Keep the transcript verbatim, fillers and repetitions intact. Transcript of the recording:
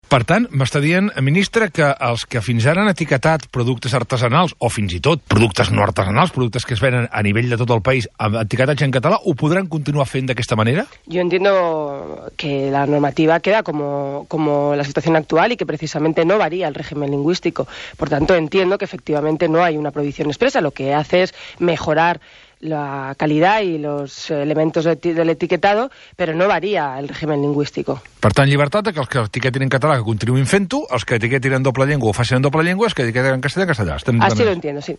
Per tant, m'està dient, ministre, que els que fins ara han etiquetat productes artesanals, o fins i tot productes no artesanals, productes que es venen a nivell de tot el país, amb etiquetatge en català, ho podran continuar fent d'aquesta manera? Yo entiendo que la normativa queda como, como la situación actual y que precisamente no varía el régimen lingüístico. Por tanto, entiendo que efectivamente no hay una prohibición expresa, lo que hace es mejorar la calidad y los elementos de del etiquetado, pero no varía el régimen lingüístico. Per tant, llibertat que els que etiquetin en català que continuïn fent-ho, els que etiquetin en doble llengua o facin en doble llengua, els que etiquetin en castellà, en castellà. Estem Así lo entiendo, sí.